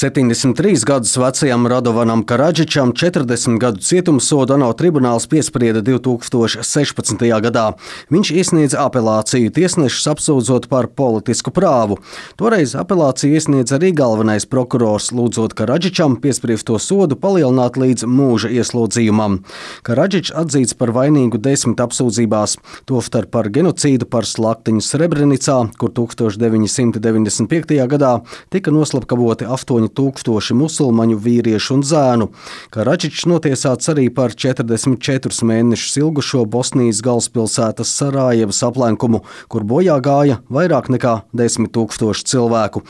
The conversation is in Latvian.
73 gadus vecajam Radovanam Karadžičam 40 gadu cietumsodu ANO tribunāls piesprieda 2016. gadā. Viņš iesniedza apelāciju, tiesnešus apsūdzot par politisku prāvu. Toreiz apelāciju iesniedza arī galvenais prokurors, lūdzot Karadžičam piespriesto sodu palielināt līdz mūža ieslodzījumam. Karadžičs atzīts par vainīgu 10 apsūdzībās, tostarp par genocīdu, par slaktiņu Srebrenicā, kur 1995. gadā tika noslapkavoti 8000 musulmaņu vīriešu un zēnu. Karadžičs notiesāts arī par 44 mēnešus ilgušo Bosnijas galvaspilsētas Sarajevas aplenkumu, kur bojā gāja vairāk nekā 10 000 cilvēku.